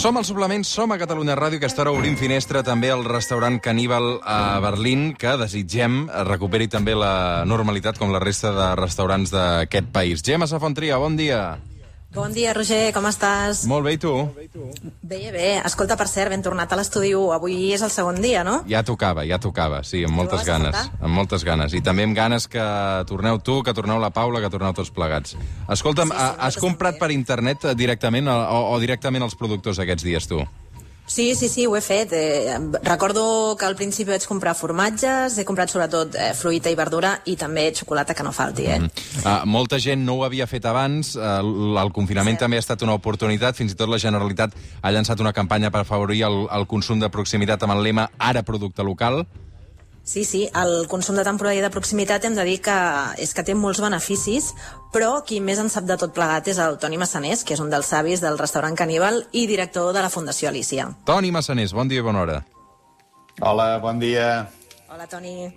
Som al Suplement, som a Catalunya Ràdio, que estarà obrint finestra també al restaurant Caníbal a Berlín, que desitgem recuperi també la normalitat com la resta de restaurants d'aquest país. Gemma Safontria, bon dia. Bon dia, Roger, com estàs? Molt bé, i tu? Bé, bé. Escolta, per cert, ben tornat a l'estudi 1. Avui és el segon dia, no? Ja tocava, sí, amb moltes ganes. Amb moltes ganes. I també amb ganes que torneu tu, que torneu la Paula, que torneu tots plegats. Escolta'm, has comprat per internet directament o directament els productors aquests dies, tu? Sí, ho he fet. Recordo que al principi vaig comprar formatges, he comprat sobretot fruita i verdura i també xocolata, que no falti, Molta gent no ho havia fet abans, el confinament també ha estat una oportunitat, fins i tot la Generalitat ha llançat una campanya per afavorir el consum de proximitat amb el lema Ara producte local. Sí, el consum de temporada i de proximitat hem de dir que és que té molts beneficis, però qui més en sap de tot plegat és el Toni Massanés, que és un dels savis del restaurant Caníbal i director de la Fundació Alícia. Toni Massanés, bon dia i bona hora. Hola, bon dia. Hola, Toni.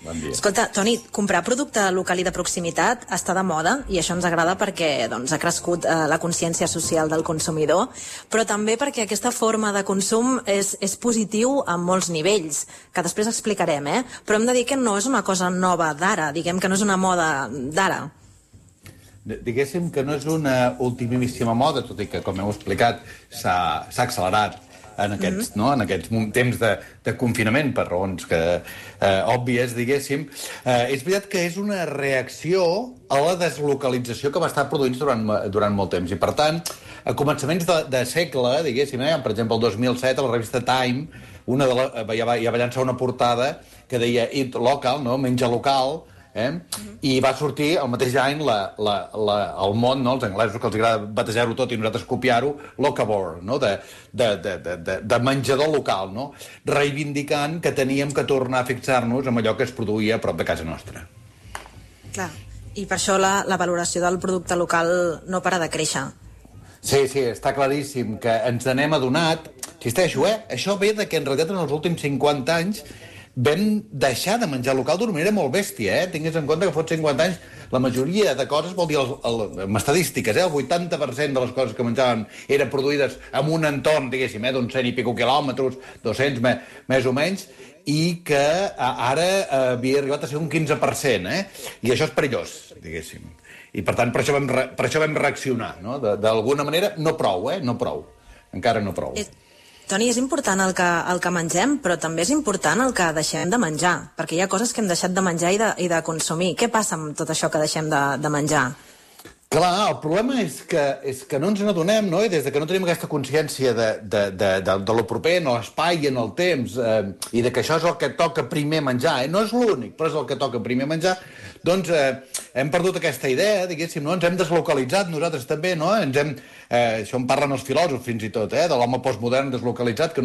Bon dia. Escolta, Toni, comprar producte local i de proximitat està de moda i això ens agrada perquè ha crescut la consciència social del consumidor, però també perquè aquesta forma de consum és positiu a molts nivells, que després explicarem, però hem de dir que no és una cosa nova d'ara, diguem que no és una moda d'ara. Diguéssim que no és una ultimíssima moda, tot i que, com heu explicat, s'ha accelerat en aquests temps de confinament, per raons òbvies, diguéssim. És veritat que és una reacció a la deslocalització que va estar produint durant molt temps. I, per tant, a començaments de segle, diguéssim, per exemple, el 2007, a la revista Time, ja va llançar una portada que deia Eat Local, menja local, i va sortir el mateix any el món, els anglesos, que els agrada batejar-ho tot i nosaltres copiar-ho, locavore, de menjador local, reivindicant que teníem que tornar a fixar-nos en allò que es produïa a prop de casa nostra. Clar, i per això la valoració del producte local no para de créixer. Sí, està claríssim que ens n'hem adonat. Insisteixo, això ve que en realitat en els últims 50 anys vam deixar de menjar local d'una manera molt bèstia, Tingues en compte que fot 50 anys la majoria de coses, vol dir, amb estadístiques, el 80% de les coses que menjaven eren produïdes en un entorn, diguéssim, d'uns 100 i pico quilòmetres, 200 més o menys, i que ara havia arribat a ser un 15%, I això és perillós, diguéssim. I per tant, per això vam reaccionar, D'alguna manera, no prou, no prou. Encara no prou. Toni, és important el que mengem, però també és important el que deixem de menjar, perquè hi ha coses que hem deixat de menjar i de consumir. Què passa amb tot això que deixem de menjar? Clar, el problema és que no ens n'adonem, I des que no tenim aquesta consciència de lo proper en l'espai i en el temps, i de que això és el que toca primer menjar, no és l'únic, però és el que toca primer menjar, doncs hem perdut aquesta idea, diguéssim, ens hem deslocalitzat nosaltres també, això en parlen els filòsofs fins i tot, de l'home postmodern deslocalitzat que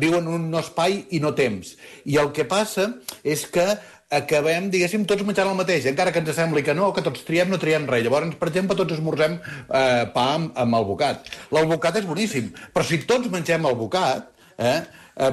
viu en un no espai i no temps. I el que passa és que acabem, diguéssim, tots menjant el mateix, encara que ens sembli que no, que tots triem, no triem res. Llavors, per exemple, tots esmorzem pa amb albocat. L'albocat és boníssim, però si tots mengem albocat,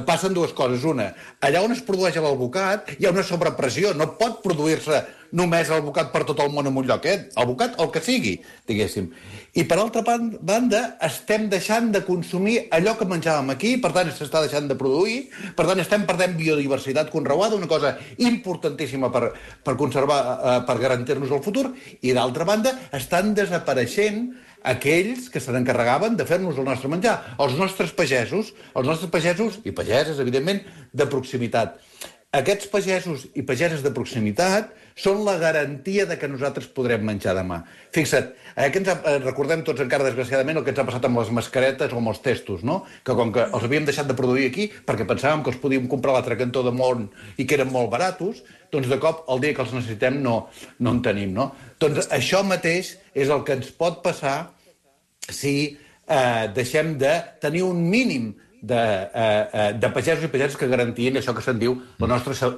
passen dues coses. Una, allà on es produeix l'albocat hi ha una sobrepressió, no pot produir-se només l'albocat per tot el món en un lloc, albocat el que sigui, diguéssim. I per altra banda, estem deixant de consumir allò que menjàvem aquí, per tant s'està deixant de produir, per tant estem perdent biodiversitat conreuada, una cosa importantíssima per conservar, per garantir-nos el futur, i d'altra banda estan desapareixent aquells que se n'encarregaven de fer-nos el nostre menjar, els nostres pagesos i pageses, evidentment, de proximitat. Aquests pagesos i pageses de proximitat són la garantia de que nosaltres podrem menjar demà. Fixa't, recordem tots encara, desgraciadament, el que ens ha passat amb les mascaretes o amb els testos, que com que els havíem deixat de produir aquí perquè pensàvem que els podíem comprar a l'altre cantó del món i que eren molt baratos, doncs de cop, el dia que els necessitem, no en tenim, Doncs això mateix és el que ens pot passar si deixem de tenir un mínim de pagesos i pageses que garantien això que se'n diu la nostra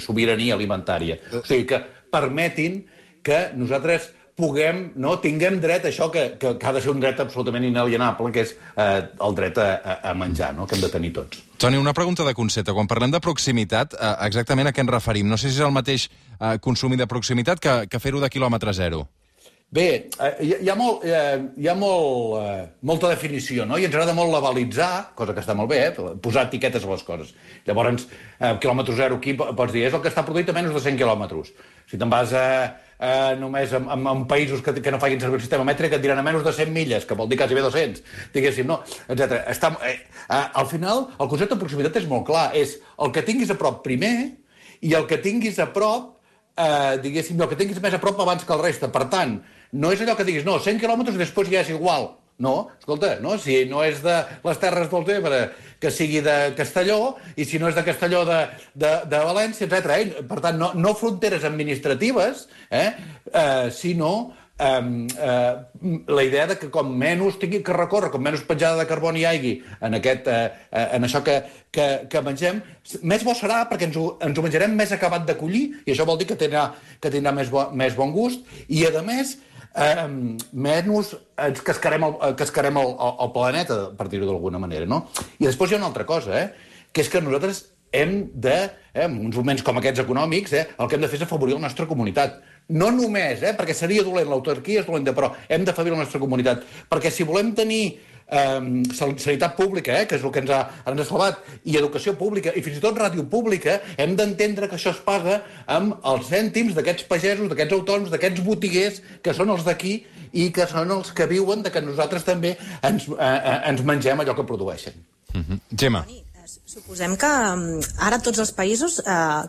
sobirania alimentària. O sigui, que permetin que nosaltres tinguem dret a això que ha de ser un dret absolutament inalienable, que és el dret a menjar, que hem de tenir tots. Toni, una pregunta de concepte. Quan parlem de proximitat, exactament a què ens referim? No sé si és el mateix consumir de proximitat que fer-ho de quilòmetre zero. Bé, hi ha molta definició, no? I ens agrada molt labelitzar, cosa que està molt bé, posar etiquetes a les coses. Llavors, quilòmetre zero aquí pots dir, és el que està produït a menys de 100 quilòmetres. Si te'n vas només en països que no facin servir el sistema mètric, et diran a menys de 100 milles, que vol dir quasi bé 200, diguéssim, no? Etc. Al final, el concepte de proximitat és molt clar, és el que tinguis a prop primer i el que tinguis a prop, diguéssim, el que tinguis més a prop abans que el reste. Per tant, no és allò que diguis, no, 100 quilòmetres i després ja és igual. No, escolta, no? Si no és de les Terres del Ebre, que sigui de Castelló, i si no és de Castelló de València, etc. Per tant, no fronteres administratives, sinó la idea de que com menys tingui que recórrer, com menys petjada de carboni hi hagi en això que mengem, més bo serà perquè ens ho menjarem més acabat de collir, i això vol dir que tindrà més bon gust, i a més menys ens cascarem el planeta, per dir-ho d'alguna manera, no? I després hi ha una altra cosa, que és que nosaltres hem de, en uns moments com aquests econòmics, el que hem de fer és afavorir la nostra comunitat. No només, perquè seria dolent, l'autarquia és dolenta, però hem d'afavorir la nostra comunitat. Perquè si volem tenir sanitat pública, que és el que ens ha salvat, i educació pública, i fins i tot ràdio pública, hem d'entendre que això es paga amb els cèntims d'aquests pagesos, d'aquests autònoms, d'aquests botiguers, que són els d'aquí i que són els que viuen de que nosaltres també ens mengem allò que produeixen. Gemma. Suposem que ara tots els països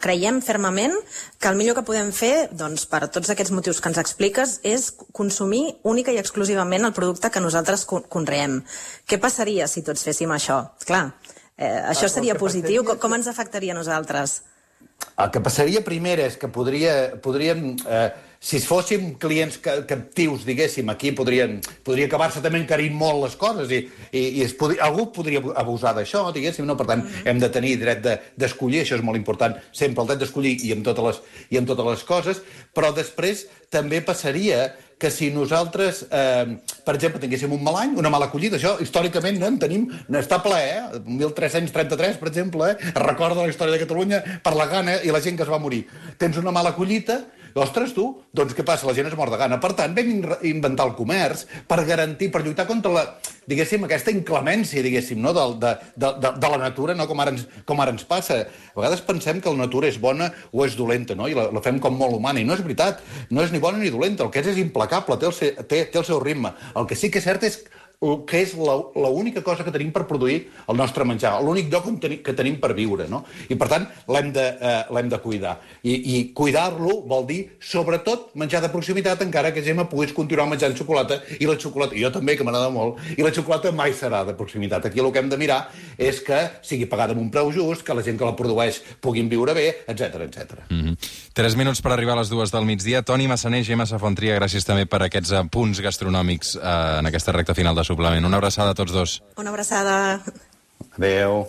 creiem fermament que el millor que podem fer, doncs, per tots aquests motius que ens expliques, és consumir única i exclusivament el producte que nosaltres conreem. Què passaria si tots féssim això? Clar, això seria positiu. Com ens afectaria a nosaltres? El que passaria primer és que podríem si fóssim clients captius, diguéssim, aquí podria acabar-se també encarint molt les coses i algú podria abusar d'això, diguéssim, no? Per tant, hem de tenir dret d'escollir, això és molt important, sempre el dret d'escollir i amb totes les coses, però després també passaria que si nosaltres, per exemple, tinguéssim un mal any, una mala collida, això històricament en tenim, està ple, 1333, per exemple, es recorda la història de Catalunya per la gana i la gent que es va morir. Tens una mala collita, ostres, tu, doncs què passa? La gent es mor de gana. Per tant, vam inventar el comerç per garantir, per lluitar contra diguéssim, aquesta inclemència, diguéssim, no? de la natura, no? com ara ens passa. A vegades pensem que la natura és bona o és dolenta, no? I la fem com molt humana, i no és veritat. No és ni bona ni dolenta, el que és implacable, té el seu ritme. El que sí que és cert és que és l'única cosa que tenim per produir el nostre menjar, l'únic lloc que tenim per viure, no? I, per tant, l'hem de cuidar. I cuidar-lo vol dir, sobretot, menjar de proximitat, encara que Gemma puguis continuar menjant xocolata, i la xocolata, jo també, que m'agrada molt, i la xocolata mai serà de proximitat. Aquí el que hem de mirar és que sigui pagada amb un preu just, que la gent que la produeix puguin viure bé, etc. 3 minuts per arribar a les 2 del migdia. Toni Massaner, Gemma Safontria, gràcies també per aquests apunts gastronòmics en aquesta recta final de Suplement. Una abraçada a tots dos. Una abraçada. Adéu.